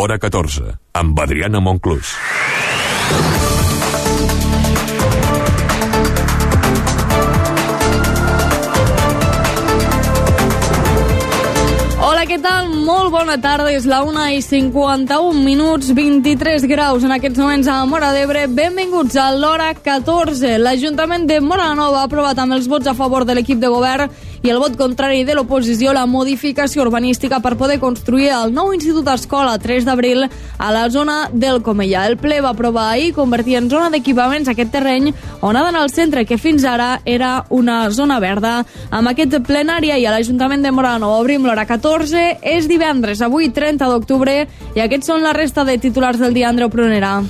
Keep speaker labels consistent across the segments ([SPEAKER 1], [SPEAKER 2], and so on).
[SPEAKER 1] Hora 14, amb Adriana Monclús.
[SPEAKER 2] Hola, què tal? Molt bona tarda, és la 1:51, 23 graus en aquests moments a Móra d'Ebre. Benvinguts a l'Hora 14. L'Ajuntament de Móra la Nova ha aprovat amb els vots a favor de l'equip de govern i el vot contrari de l'oposició la modificació urbanística per poder construir el nou Institut Escola 3 d'abril a la zona del Comellà. El ple va aprovar ahir convertir en zona d'equipaments aquest terreny on ha d'anar al centre, que fins ara era una zona verda. Amb aquest plenari i a l'Ajuntament de Móra la Nova obrim l'Hora 14. És divendres, avui 30 d'octubre, i aquests són la resta de titulars del dia. Andreu Prunera.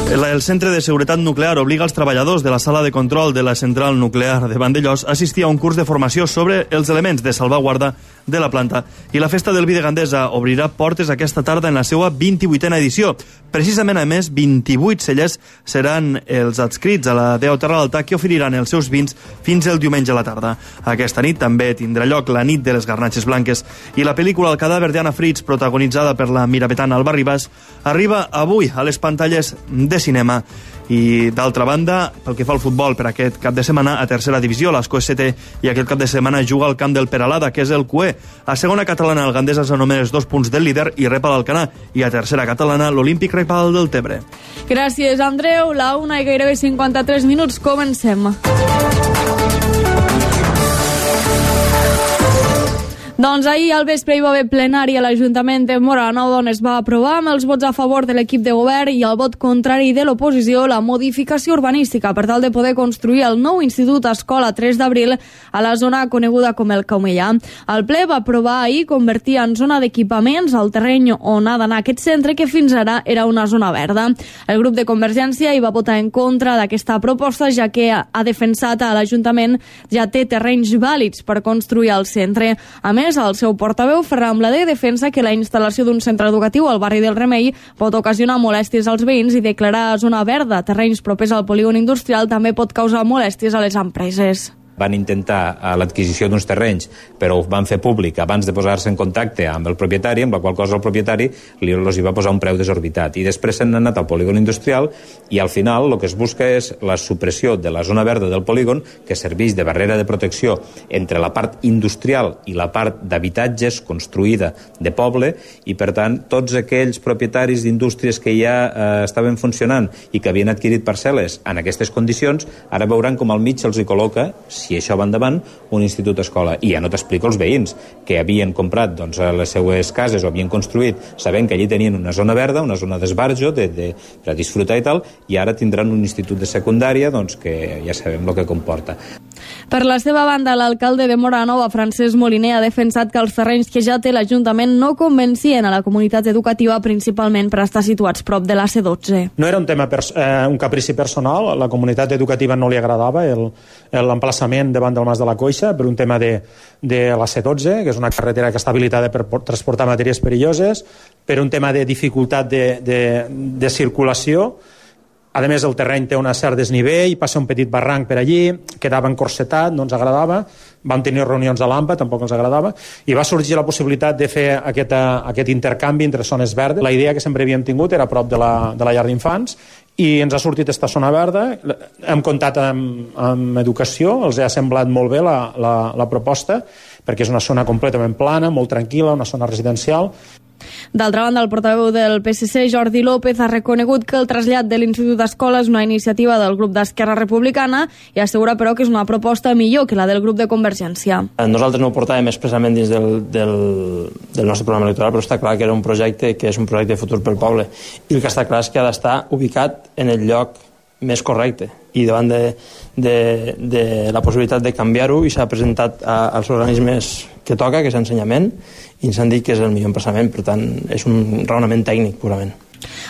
[SPEAKER 3] El Centre de Seguretat Nuclear obliga els treballadors de la sala de control de la central nuclear de Vandellòs a assistir a un curs de formació sobre els elements de salvaguarda de la planta. I la Festa del Vi de Gandesa obrirà portes aquesta tarda en la seva 28a edició. Precisament, a més, 28 cellers seran els adscrits a la DEO Terra d'Alta, que oferiran els seus vins fins el diumenge a la tarda. Aquesta nit també tindrà lloc la nit de les garnatxes blanques. I la pel·lícula El cadàver d'Anna Fritz, protagonitzada per la mirapetana Alba Ribas, arriba avui a les pantalles de cinema. I d'altra banda, pel que fa al futbol, per aquest cap de setmana a tercera divisió, l'Ascó ST, i aquest cap de setmana juga al camp del Peralada, que és el QE. A segona catalana, el Gandesa és a només 2 punts del líder i rep a l'Alcanar, i a tercera catalana, l'Olímpic rep al del Tebre.
[SPEAKER 2] Gràcies, Andreu. La 1 i gairebé 53 minuts, comencem. Doncs ahir al vespre hi va haver plenari a l'Ajuntament de Móra la Nova, on es va aprovar amb els vots a favor de l'equip de govern i el vot contrari de l'oposició la modificació urbanística per tal de poder construir el nou Institut Escola 3 d'abril a la zona coneguda com el Comellà. El ple va aprovar ahir convertir en zona d'equipaments el terreny on ha d'anar aquest centre, que fins ara era una zona verda. El grup de Convergència hi va votar en contra d'aquesta proposta, ja que ha defensat a l'Ajuntament ja té terrenys vàlids per construir el centre. A més, el seu portaveu, Ferran Blader, defensa que la instal·lació d'un centre educatiu al barri del Remei pot ocasionar molèsties als veïns i declarar zona verda terrenys propers al polígon industrial també pot causar molèsties a les empreses.
[SPEAKER 4] Van intentar l'adquisició d'uns terrenys, però ho van fer públic abans de posar-se en contacte amb el propietari, amb la qual cosa el propietari els hi va posar un preu desorbitat. I després s'han anat al polígon industrial i al final el que es busca és la supressió de la zona verda del polígon, que serveix de barrera de protecció entre la part industrial i la part d'habitatges construïda de poble, i per tant tots aquells propietaris d'indústries que ja estaven funcionant i que havien adquirit parcel·les en aquestes condicions, ara veuran com al mig se'ls hi col·loca, si això va endavant, un institut escola. I ja no t'explico els veïns que havien comprat les seues cases o havien construït sabent que allí tenien una zona verda, una zona d'esbarjo per a disfrutar i tal, i ara tindran un institut de secundària que ja sabem el que comporta.
[SPEAKER 2] Per la seva banda, l'alcalde de Móra la Nova, Francesc Moliner, ha defensat que els terrenys que ja té l'Ajuntament no convencien a la comunitat educativa, principalment per estar situats prop de la C12.
[SPEAKER 5] No era un tema, un caprici personal, a la comunitat educativa no li agradava l'emplaçament davant del Mas de la Coixa per un tema de la C12, que és una carretera que està habilitada per transportar matèries perilloses, per un tema de dificultat de circulació. A més, el terreny té un cert desnivell, passa un petit barranc per allí, quedava encorsetat, no ens agradava. Vam tenir reunions a l'AMPA, tampoc ens agradava, i va sorgir la possibilitat de fer aquest intercanvi entre zones verdes. La idea que sempre havíem tingut era a prop de la llar d'infants, i ens ha sortit aquesta zona verda. Hem comptat amb educació, els ha semblat molt bé la proposta, perquè és una zona completament plana, molt tranquil·la, una zona residencial.
[SPEAKER 2] D'altra banda, el portaveu del PSC, Jordi López, ha reconegut que el trasllat de l'Institut d'Escola és una iniciativa del grup d'Esquerra Republicana i assegura, però, que és una proposta millor que la del grup de Convergència.
[SPEAKER 6] Nosaltres no ho portàvem expressament dins del nostre programa electoral, però està clar que era un projecte que és un projecte de futur pel poble, i el que està clar és que ha d'estar ubicat en el lloc més correcte, i davant de la possibilitat de canviar-ho, i s'ha presentat als organismes que toca, que és ensenyament, i ens han dit que és el millor emplaçament. Per tant, és un raonament tècnic purament.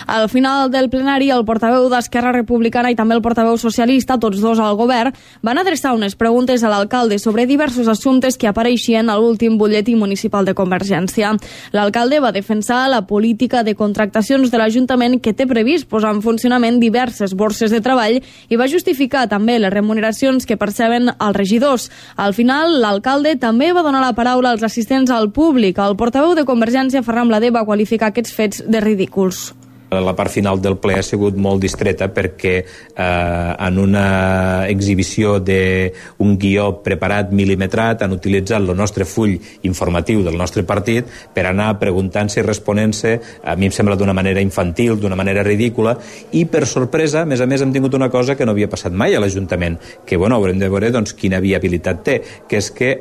[SPEAKER 2] Al final del plenari, el portaveu d'Esquerra Republicana i també el portaveu socialista, tots dos al govern, van adreçar unes preguntes a l'alcalde sobre diversos assumptes que apareixien a l'últim butlletí municipal de Convergència. L'alcalde va defensar la política de contractacions de l'Ajuntament que té previst posar en funcionament diverses borses de treball i va justificar també les remuneracions que perceben els regidors. Al final, l'alcalde també va donar la paraula als assistents al públic. El portaveu de Convergència, Ferran Blader, va qualificar aquests fets de ridículs.
[SPEAKER 4] La part final del ple ha sigut molt distreta perquè en una exhibició d'un guió preparat, mil·limetrat, han utilitzat el nostre full informatiu del nostre partit per anar preguntant-se i responent-se, a mi em sembla d'una manera infantil, d'una manera ridícula, i per sorpresa, a més hem tingut una cosa que no havia passat mai a l'Ajuntament, que haurem de veure quina viabilitat té, que és que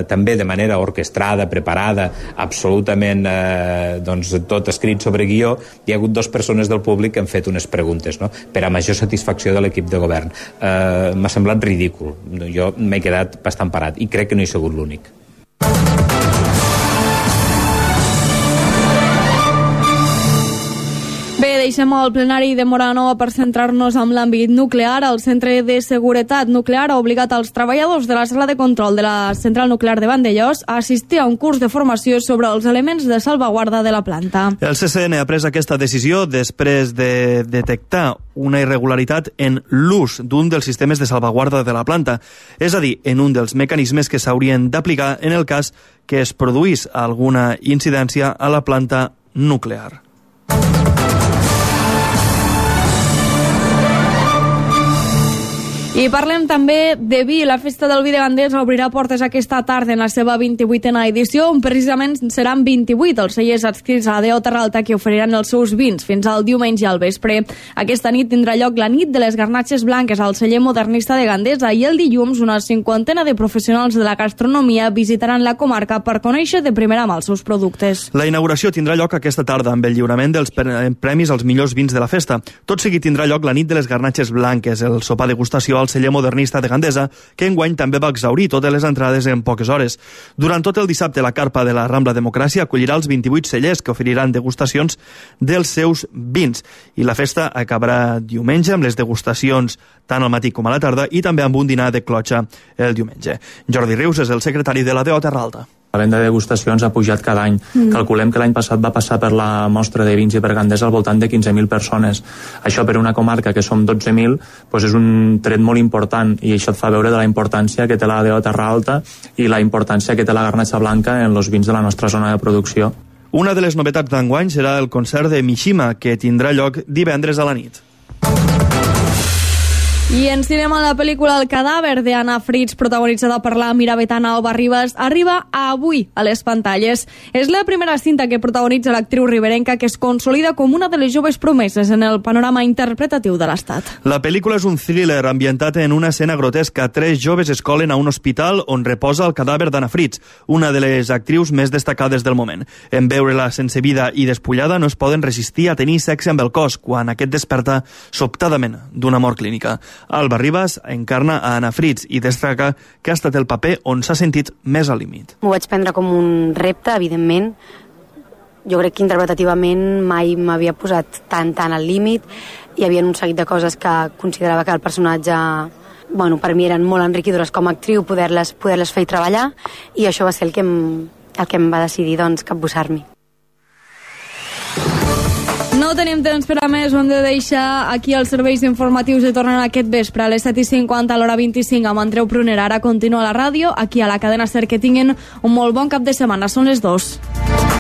[SPEAKER 4] també de manera orquestrada, preparada, absolutament tot escrit sobre guió, hi ha hagut dos persones del públic que han fet unes preguntes, no?, per a major satisfacció de l'equip de govern. M'ha semblat ridícul. Jo m'he quedat bastant parat i crec que no he sigut l'únic.
[SPEAKER 2] Bé, deixem el plenari de Móra per centrar-nos en l'àmbit nuclear. El Centre de Seguretat Nuclear ha obligat els treballadors de la sala de control de la central nuclear de Vandellòs a assistir a un curs de formació sobre els elements de salvaguarda de la planta.
[SPEAKER 3] El CCN ha pres aquesta decisió després de detectar una irregularitat en l'ús d'un dels sistemes de salvaguarda de la planta, és a dir, en un dels mecanismes que s'haurien d'aplicar en el cas que es produís alguna incidència a la planta nuclear.
[SPEAKER 2] I parlem també de vi. La Festa del Vi de Gandés obrirà portes aquesta tarda en la seva 28a edició, on precisament seran 28 els cellers adscrits a la DO Terralta que oferiran els seus vins fins al diumenge al vespre. Aquesta nit tindrà lloc la nit de les garnatxes blanques al celler modernista de Gandesa i el dilluns una 50 de professionals de la gastronomia visitaran la comarca per conèixer de primera mà els seus productes.
[SPEAKER 3] La inauguració tindrà lloc aquesta tarda amb el lliurament dels premis als millors vins de la festa. Tot seguit tindrà lloc la nit de les garnatxes blanques, el sopar degustació al celler modernista de Gandesa, que enguany també va exaurir totes les entrades en poques hores. Durant tot el dissabte, la carpa de la Rambla Democràcia acollirà els 28 cellers que oferiran degustacions dels seus vins. I la festa acabarà diumenge amb les degustacions tant al matí com a la tarda i també amb un dinar de clotxa el diumenge. Jordi Rius és el secretari de la DO Terralta.
[SPEAKER 7] La venda de degustacions ha pujat cada any. Calculem que l'any passat va passar per la mostra de vins i per Gandesa al voltant de 15.000 persones. Això per una comarca que som 12.000 doncs és un tret molt important i això et fa veure de la importància que té la DO Terra Alta i la importància que té la garnatxa blanca en els vins de la nostra zona de producció.
[SPEAKER 3] Una de les novetats d'enguany serà el concert de Mishima, que tindrà lloc divendres a la nit.
[SPEAKER 2] I en cinema, la pel·lícula El cadàver d'Anna Fritz, protagonitzada per la miravitana Alba Ribas, arriba avui a les pantalles. És la primera cinta que protagonitza l'actriu riberenca, que es consolida com una de les joves promeses en el panorama interpretatiu de l'Estat.
[SPEAKER 3] La pel·lícula és un thriller ambientat en una escena grotesca. 3 joves es colen a un hospital on reposa el cadàver d'Anna Fritz, una de les actrius més destacades del moment. En veure-la sense vida i despullada no es poden resistir a tenir sexe amb el cos, quan aquest desperta sobtadament d'una mort clínica. Alba Ribas encarna a Anna Fritz i destaca que ha estat el paper on s'ha sentit més al límit.
[SPEAKER 8] M'ho vaig prendre com un repte, evidentment. Jo crec que interpretativament mai m'havia posat tan al límit. Hi havia un seguit de coses que considerava que el personatge, per mi eren molt enriquidores com a actriu, poder-les fer i treballar, i això va ser el que em va decidir capbussar-m'hi.
[SPEAKER 2] No tenim temps per a més, ho hem de deixar aquí als serveis informatius i tornen aquest vespre a les 7:50 a l'hora 25 amb Andreu Pruner. Ara continua la ràdio, aquí a la cadena SER. Que tinguin un molt bon cap de setmana. Són les 2.